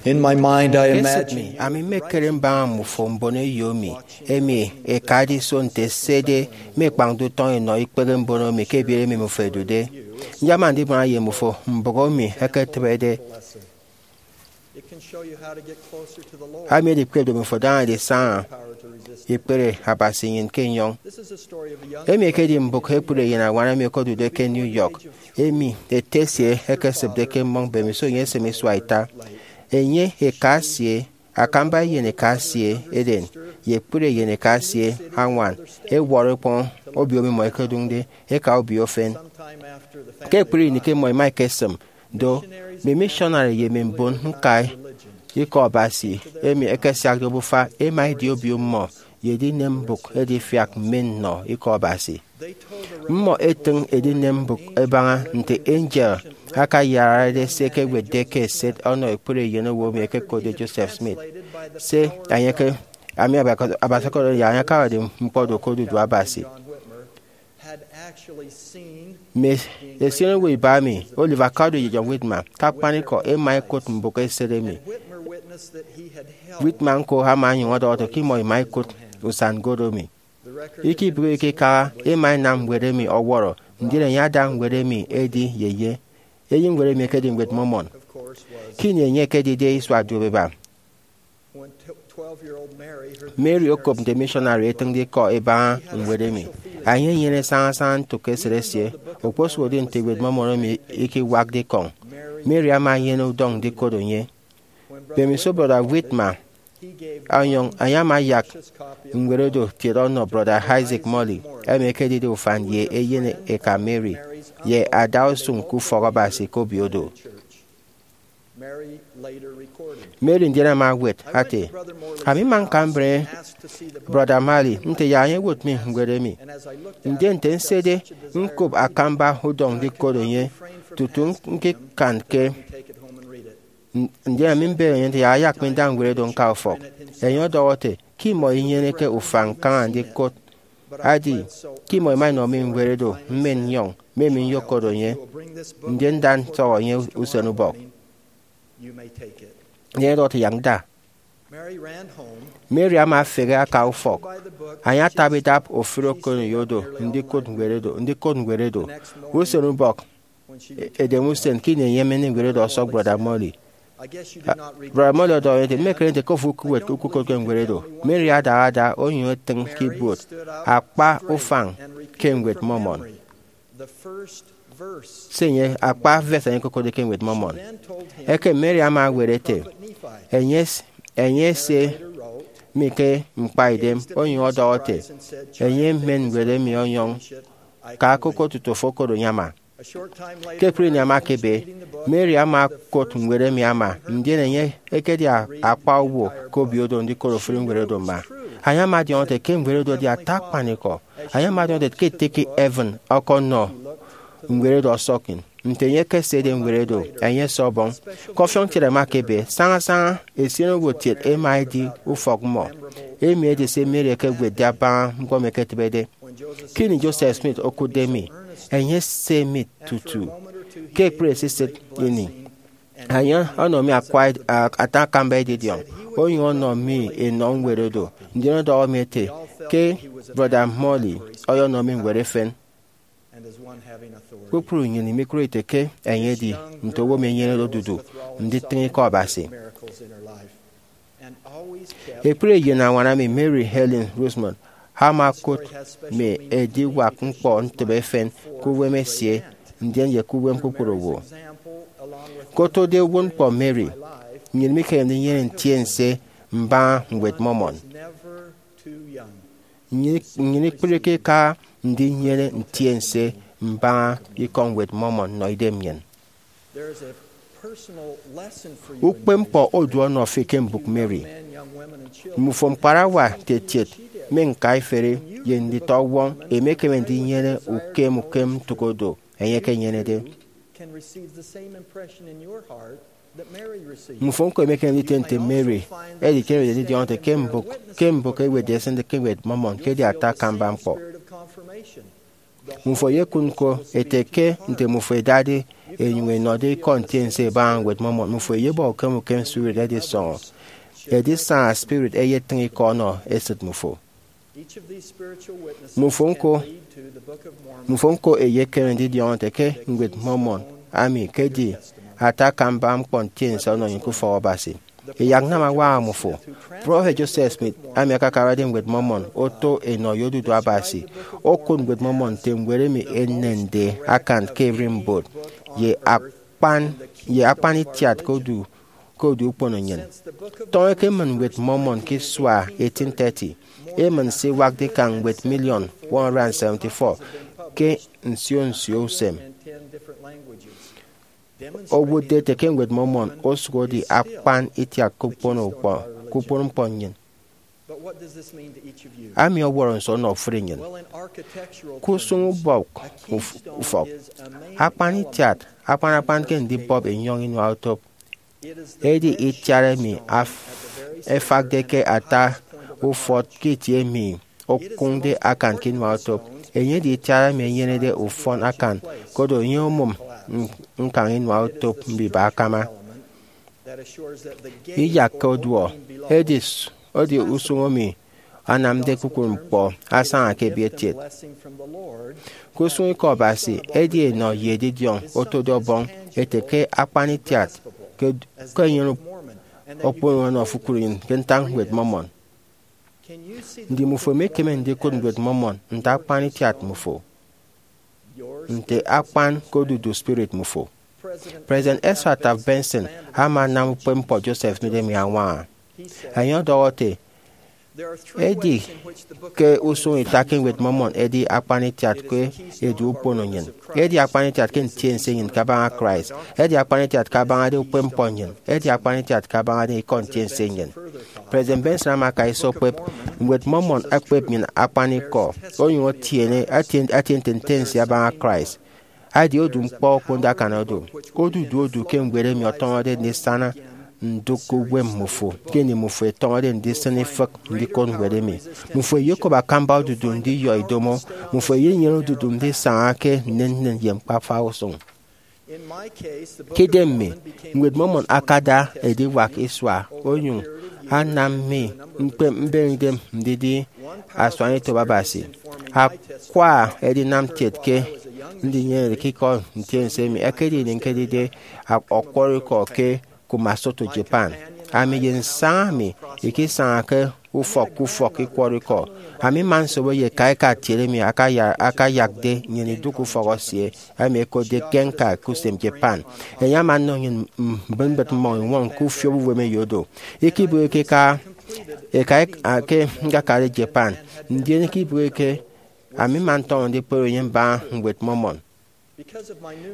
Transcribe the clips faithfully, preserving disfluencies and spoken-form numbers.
In my mind, I imagine mi, ami mmekere mbaña mmufo mbon eyo mi, emi ẹkade iso nte ẹsede mme ẹkpañde utọñ ẹnọ ikpehe mbono mi ke ebiere emi mmufo ẹdude. Nyama ndibuana ye mmufo mbụk emi ẹketịbede. Ami edikpep do mmufo daña edisaña ikpere Abasi nnyịn ke enyọñ. Emi ekedi mbụk ekpri eyen añwan emi okodude ke New York, emi ete esie ekesịpde ke mmọñ mbemiso enye esịm isua ita. Enye, eka esie, akamba eyen eka esie eden, ye ekpri eyen eka esie añwan, ẹwọrọ ẹkpọñ obio mmimọ ẹkedụñde ẹka obio efen. Ke ekpri ini ke mmọ ẹma ẹkesịm do, mme missionary ye mme mbon ñkai Ikọ Abasi emi ẹkesiakde obufa ẹma ẹdi obio mmọ ye edinem mbụk edifiak mme nnọ Ikọ Abasi. Mmọ ẹtịñ edinem mbụk ẹbaña nte angel akayararede se ẹkewetde ke eset ọnọ ekpri eyen owo emi ẹkekotde Joseph Smith, se enye ke, ami Abasi ọkọdọhọ ye enye akawakde ñkpọ do ke odudu Abasi. Mme esionowo iba emi, Oliver Cowdery ye John Whitmer, ke akpanikọ ẹma ẹkot mbụk eset emi. Whitmer ñko ama onyụñ ọdọhọ ete ke imọ ima ikụt usan ñko emi. Ikibụk ikikaha, ima inam ñwed emi ọwọrọ, ndien enye ada ñwed emi edi ye enye. Eyeñwed emi ekedi Ñwed Mormon. Ke ini enye ekedide isua duopeba, Mary okop nte missionary etịñde ikọ ẹbaña ñwed emi. Enye enyene sañasaña ntụk esịt esie. Okposụkedi nte Ñwed Mormon emi ikiwakde ikọñ, Mary ama enyene udọñ ndikot enye. Mbemiso Brọda Whitmer ọnyọñ, enye ama ayak ñwed odo kiet ọnọ Brọda Isaac Morley, emi ekedide ufan ye eyen eka Mary, ye adausụñ ke ufọk Abasi ke obio odo. Mary ndien ama ewet ete, ami mma ñka mbre Brọda Morley nte yak enye ewot mi ñwed emi. Ndien nte nsede ñkop akamba udọñ ndikot enye tutu ñkikanke, ndien ami mbere enye nte yak ayak mi nda ñwed oro ñka ufọk. Enye ọdọhọ ete ke imọ inyeneke ufan ñkaña ndikot, edi ke imọ ima inọ mi ñwed oro mmen nnyọñ, mme mi nyokot enye, ndien nda ntọhọ enye usenubọk. Enye ọdọhọ ete yak nda. Mary ama efehe aka ufọk. Enye ataba idap ofụri okoneyo do ndikot ñwed oro, ndikot ñwed oro. Usenubọk, e- edem usen ke ini enye emen ñwed oro ọsọk Brọda Morley. Brọda Morley ọdọhọ enye ete, mmekere nte ke ofo ukuwet ukukotke ñwed oro. Mary adaha ada onyụñ etịñ ke ibuot akpa ufañ ke Ñwed Mormon. Se enye, akpa verse enye okokotde ke Ñwed Mormon. Ekem Mary ama ewet ete, enye, enye ese mi ke ñkpaidem, onyụñ ọdọhọ ete, enye emen ñwed emi ọnyọñ, ka koko tutu ofo okot enye ama. Ke ekpri ini ama ekebe, Mary ama okot ñwed emi ama, ndien enye ekedi a- akpa owo ke obio odo ndikot ofụri ñwed oro mma. Enye ama ọdiọñọ ete ke ñwed oro edi ata akpanikọ. Enye ama ọdiọñọ ete ke ete ke heaven ọkọnọ ñwed oro ọsọk nte enye ekesede ñwed oro, enye ese ọbọñ. Ke ọfiọñ kiet ama ekebe, sañasaña esionowo kiet ema edi ufọk mmọ. Emi edi se Mary ekewetde abaña ñkpọ emi eketịbede. Ke ini Joseph Smith okụtde mi, enye ese mi tutu ke ekpri esisịt ini. Enye ọnọ mi akwa ed- a- ata akamba edidiọñ, onyụñ ọnọ mi enọ ñwed oro, ndien ọdọhọ mi ete ke Brọda Morley ọyọnọ mi ñwed efen. Kpukpru nnyịn imikụre ite ke enye edi nte owo emi enyenede odudu nditịñ ikọ Abasi. Ekpri eyen añwan emi, Mary Helen Rosemond, ama okụt mme ediwak ñkpọ ntịbe efen ke uwem esie, ndien ye ke uwem kpukpru owo. Ke otode uwụtñkpọ Mary, nnyịn mikeme ndinyene ntiense mbaña Ñwed Mormon. Nnyịn, nnyịn ikpụrike ika ndinyene ntiense mbaña ikọ Ñwed Mormon nnọ idem nnyịn. Ukpepñkpọ odu ọnọ fi ke mbụk Mary. Mmufo ñkparawa, nte etiet, mme ñkaiferi, ye nditọwọñ, emekeme ndinyene ukem ukem ntụk odo enye ekenyenede. Mmufo ñko emekeme nditie nte Mary, edi ke ewetde ndidiọñọ ete ke mbụk, ke mbụk ewetde esịnde ke Ñwed Mormon, ke edi ata akamba ñkpọ. Mmufo eyekụt ñko ete ke nte mmufo ẹdade ẹnyụñ ẹnọde ikọ ntiense ẹbaña Ñwed Mmọmọn, mmufo ẹyebọ ukem ukem spirit ẹdisọñọ. Edisaña spirit eyetịñ ikọ ọnọ esịt mmufo. Mmufo ñko eyekeme ndidiọñọ nte ke Ñwed Mmọmọn, ami ke edi ata akamba ñkpọ ntiense ọnọ nnyịn ke ufọk Abasi. Ẹyak nnam añwaña mmufo. Prọfet Joseph Smith, ami akakarade Ñwed Mmọmọn oto enọ ye odudu Abasi, okụt Ñwed Mmọmọn nte ñwed emi enende akan ke ererimbot ye akpan ye akpan itiat ke odu ke odu ukpono nnyịn. Tọñọ ekemmịn Ñwed Mmọmọn ke isua eighteen thirty, emịn se iwakde ikañ ñwed miliọn one hundred seventy-four ke nsio nsio usem. Owụtde ete ke Ñwed Mmọmọn osụk edi akpan itiat ke ukpono ukpọ- ke ukpono ñkpọ nnyịn. Ami ọwọrọ nso ọnọ ofụri nnyịn? Ke usụñ ubọk uf- ufọk, akpan itiat akpan akpan ke ndibọp enyọñ inua otop. Edi itiat emi af- efakde ke ata ufọt ke itie emi okụñde akan ke inua otop. Enye edi itiat emi enyenede ufọn akan, koro enye omụm ñkañ inua otop mbiba akama. Iyakke oduọ, edi edi usụñ emi anamde kpukpru ñkpọ asaña ke ebietiet. Ke usụñ ikọ Abasi, edi enọ ye edidiọñ otode Ọbọñ ete ke akpan itiat ke enyene okpon ọnọ ofụkụri nnyịn ke ntak Ñwed Mmọmọn. Ndi mmufo emekeme ndikụt Ñwed Mmọmọn nte akpan itiat mmufo, nte akpan ke odudu spirit mmufo? President Ezra Taft Benson ama anam ukpepñkpọ Joseph Smith emi añwaña. Enye ọdọhọ ete, edi ke usụñ ita ke Ñwed Mmọmọn edi akpan itiat ke edu ukpono nnyịn, edi akpan itiat ke ntiense nnyịn kabaña Christ, edi akpan itiat kabañade ukpepñkpọ nnyịn, edi akpan itiat kabañade ikọ ntiense nnyịn. President Benson ama aka iso okpep Ñwed Mmọmọn, ekpep nnyịn akpanikọ, onyụñ etiene atie atie nte ntiense abaña Christ. Edi odu ñkpọ okponde akan odu. Odudu odu ke ñwed emi ọtọñọde ndisana ndụk ke uwem mmufo ke ini mmufo ẹtọñọde ndisịn ifịk ndikot ñwed emi. Mmufo ẹyekop akamba odudu ndiyọ idomo. Mmufo ẹyenyene odudu ndisaña ke nnennen ye ñkpa-afa usụñ. Ke idem mi, Ñwed Mmọmọn akada ediwak isua, onyụñ anam mi ñkpep mbeñe idem ndidi asuanetop Abasi. Akwa edinam kiet ke ndinyenede ke ikọ ntiense emi ekedi ini ñkedide ọkwọrọikọ ke Kumamoto, Japan. Ami ye nsaña mi ikisaña ke ufọk ke ufọk ikwọrọ ikọ. Ami mma nsobo ye eka eka kiet emi akaya- akayakde nnyịn idụk ufọk esie, emi ẹkotde Genkai, ke usem Japan. Enye ama nnọ nnyịn mbịtmbịt mmọñ iñwọñ ke ufiobo uwem eyo do. Ikebịghike eka eka ke ñkakade Japan, ndien ikebịghike ami mma ntọñọ ndikpep enye mbaña Ñwed Mmọmọn.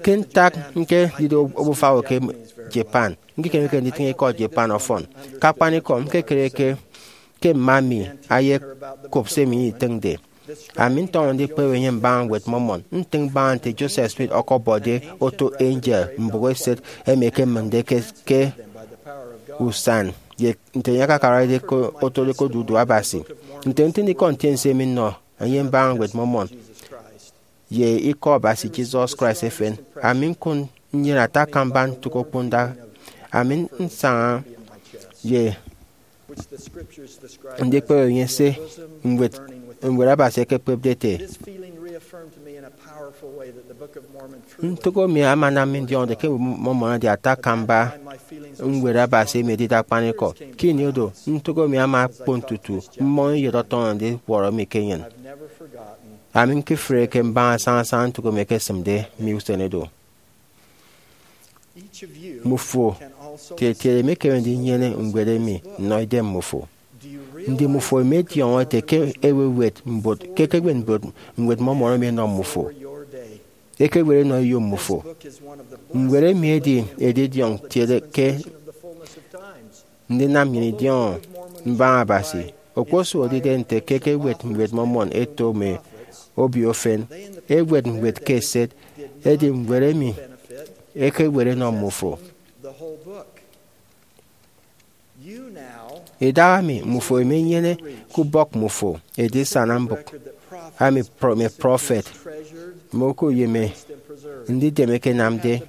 Ke ntak ñkedide obufa owo ke Japan, ñkekemeke nditịñ ikọ Japan ọfọn. Ke akpanikọ, ñkekere ke ke mma mi ayekop se emi itịñde. Ami ntọñọ ndikpep enye mbaña Ñwed Mmọmọn, ntịñ mbaña nte Joseph Smith ọkọbọde oto angel mbụk eset emi ekemịñde ke, ke usan, ye nte enye akakarade ke otode ke odudu Abasi. Nte ntịñikọ ntiense emi nnọ enye mbaña Ñwed Mmọmọn ye Ikọ Abasi Jesus Christ efen, ami ñkụt nnyịn ata akamba ntụk okponda. Ami nsaña ye ndikpep enye se ñwed, ñwed Abasi ekekpepde ete. Ntụk emi ama anam mi ndiọñọde ke Ñwed Mmọmọn edi ata akamba ñwed Abasi emi edide akpanikọ. Ke ini oro, ntụk emi ama okpon tutu mmọñ iyet ọtọñọ ndiwọrọ mi ke enyịn. Ami ñkefreke mbaña sañasaña ntụk emi ekesịmde mi usen oro. Mmufo tietiene emekeme ndinyene ñwed emi nnọ idem mmufo. Ndi mmufo ẹmediọñọ ete ke ẹkewet mbot, ke ẹkewet mbot Ñwed Mmọmọn emi ẹnọ mmufo? Ẹkewet ẹnọ eyo mmufo. Ñwed emi edi edidiọñ kiet ke ndinam nnyịn idiọñọ mbaña Abasi. Okposụkedi idide nte ke ẹkewet Ñwed Mmọmọn ẹto mme obio efen, ẹwet ñwed ke eset, edi ñwed emi ẹkewet ẹnọ mmufo. Idahaemi mmufo ẹmenyene ke ubọk mmufo edisana mbụk ami pro- mme prọfet, mme oku ye mme ndidem ẹkenamde.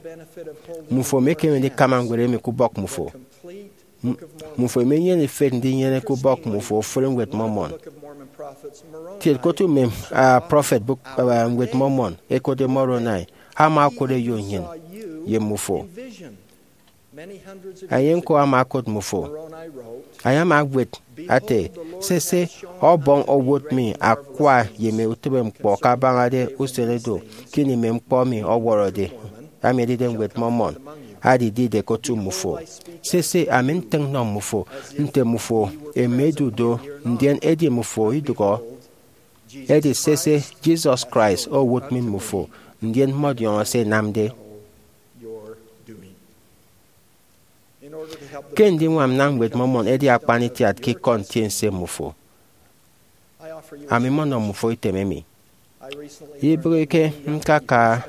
Mmufo emekeme ndikama ñwed emi ke ubọk mmufo. M- mmufo emenyene ifet ndinyene ke ubọk mmufo ofụri Ñwed Mormon. Kiet, ke otu mme ah, prọfet bụk ah, Ñwed Mormon ẹkotde Moroni ama okot eyo nnyịn ye mmufo. Enye ñko ama okot mmufo. Enye ama ewet ete, sese, Ọbọñ owot mi akwa ye mme utịbe ñkpọ kabañade usen do ke ini mme ñkpọ mi ọwọrọde, ami edide Ñwed Mormon, adidide ke otu mmufo. Sese, ami ntịñ nnọ mmufo nte mmufo emedu do, ndien edi mmufo idụhọ. Edi sese, Jesus Christ owot mi mmufo, ndien mmọdiọñọ se ẹnamde. Ke ndiñwam nnam Ñwed Mormon edi akpan itiat ke ikọ ntiense mmufo, ami mmọnọ mmufo item emi. Ibịghike ñkaka,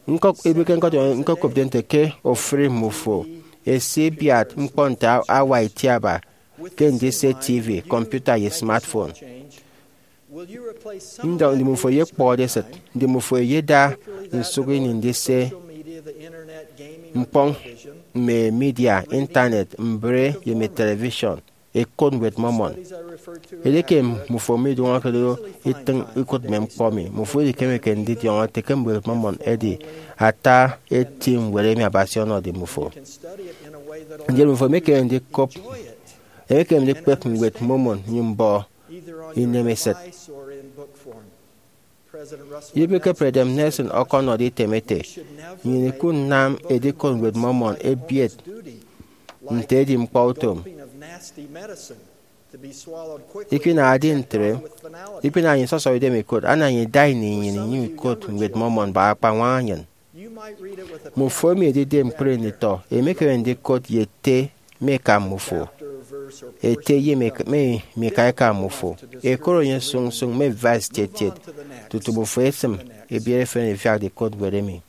ñkọ- ibịghike ñkọdiọñọ ñkokopde nte ke ofụri mmufo esibiat ñkpọ nte awa itiaba ke ndise T V, kọmputa, ye smartphone. Ndọñ, ndi mmufo eyekpọhọde esịt? Ndi mmufo eyeda nsụk ini ndise ñkpọñ mme media, intanet, mbre, ye mme television, ẹkot Ñwed Mormon? Edieke mmufo midụñọke do itịñ ikụt mme ñkpọ emi, mmufo idikemeke ndidiọñọ ete ke Ñwed Mormon edi ata eti ñwed emi Abasi ọnọde mmufo. Ndien mmufo emekeme ndikop, emekeme ndikpep Ñwed Mormon nyụñ mbọ inemesịt. Ibịghike President Nelson ọkọnọde item ete, nnyịn ikụt nnam edikot Ñwed Mormon ebiet nte edi ñkpọutom. Ikpịnaha edi ntre, ikpịnaha nnyịn sọsọñọ idem ikot, ana nnyịn ida ini nnyịn inyụñ ikot Ñwed Mormon bak akpañwaña nnyịn. Mmufo emi edide ñkpri nditọ emekeme ndikot ye ete mi eka mmufo, ete ye mi emi mika eka mmufo, ekot enye sụñ sụñ mme verse tiet tiet, tutu mmufo esịm ebiere efen ifiak ndikot ñwed emi.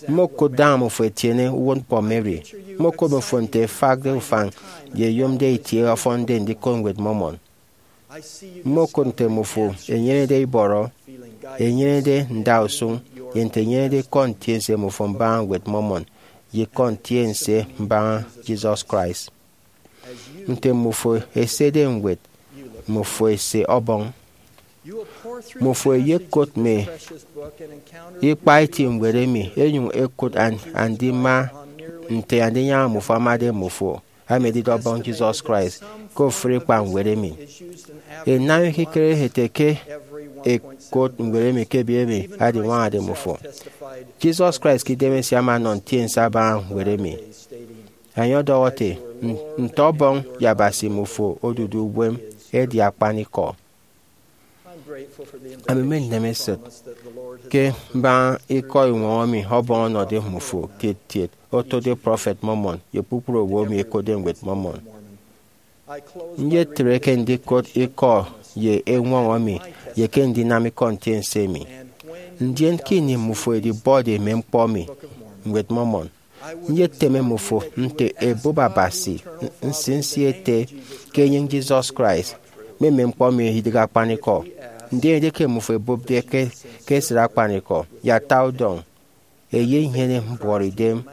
Mmokụt daña mmufo ẹtiene uwụtñkpọ Mary. Mmokụt mmufo nte ẹfakde ufañ ye ẹyomde itie ọfọnde ndikot Ñwed Mormon. Mmokụt nte mmufo ẹnyenede ibọrọ, ẹnyenede ndausụñ, ye nte ẹnyenede ikọ ntiense mmufo mbaña Ñwed Mormon ye ikọ ntiense mbaña Jesus Christ. Nte mmufo ẹsede ñwed, mmufo ẹse Ọbọñ. Mmufo ẹyekot mme ikpaeti ñwed emi ẹnyụñ ẹkụt an- andima nte Andinyaña mmufo amade mmufo, emi edide Ọbọñ Jesus Christ, ke ofụri ikpañwed emi. Inam ikekere ete ke ẹkot ñwed emi ke ebiet emi adiñwañade mmufo. Jesus Christ ke idemesie ama ọnọ ntiense abaña ñwed emi. Enye ọdọhọ ete, "N- nte Ọbọñ ye Abasi mmufo odude uwem edi akpanikọ." Ami mmen nnemesịt ke mbaña ikọ eñwọñọ emi Ọbọñ ọnọde mmufo kiet kiet, otode prọfet Mormon ye kpukpru owo emi ẹkotde Ñwed Mormon. Nyetre ke ndikot ikọ ye eñwọñọ emi ye ke ndinam ikọ ntiense emi. Ndien ke ini mmufo edibọde mme ñkpọ emi, Ñwed Mormon, nyeteme mmufo nte ẹbụp Abasi nsinsi ete ke enyịñ Jesus Christ, mme mme ñkpọ emi idịghe akpanikọ. Ndien edieke mmufo ẹbụpde ke, ke esịt akpanikọ, ye ata udọñ, ẹyenyene mbuọtidem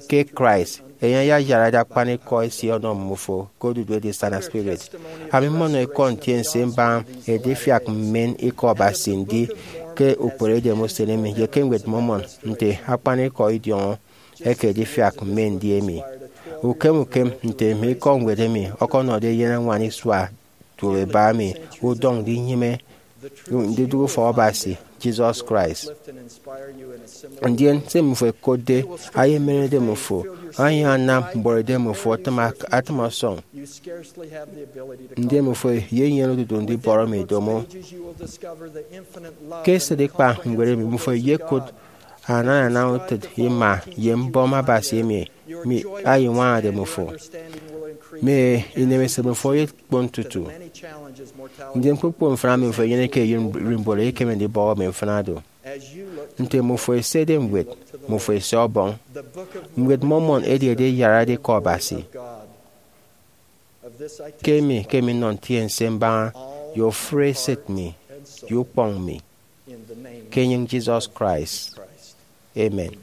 ke Christ, enye ayayarade akpanikọ esie ọnọ mmufo ke odudu edisana spirit. Ami mmọnọ ikọ ntiense mbaña edifiak mmen ikọ Abasi ndi ke ukperedem usen emi ye ke Ñwed Mormon nte akpanikọ idiọñọ eke edifiak mme ndi emi. Ukem ukem nte mme ikọ ñwed emi ọkọnọde eyen añwan isua tuo eba emi, udọñ ndinyịme ndidụk ufọk Abasi, Jesus Christ. Ndien se mmufo ẹkotde ayemenede mmufo, onyụñ anam mbuọtidem mmufo atịm ak- atịm ọsọñ. Ndien mmufo eyenyene odudu ndibọrọ mme idomo. Ke esịt ikpa ñwed emi, mmufo eyekot anana utịt ima ye mbọm Abasi emi mi- ayeñwañade mmufo. Mme inemesịt mmufo eyekpon tutu. Ndien kpukpru mfịna emi mmufo ẹnyenede ke eyen ererimbot eyekeme ndibọhọ mme mfịna do. Nte mmufo ẹsede ñwed, mmufo ẹse Ọbọñ. Ñwed Mormon edi ediyarade ikọ Abasi. Ke emi ke emi nnọ ntiense mbaña ye ofụri esịt mi, ye ukpọñ mi, ke enyịñ Jesus Christ, amen.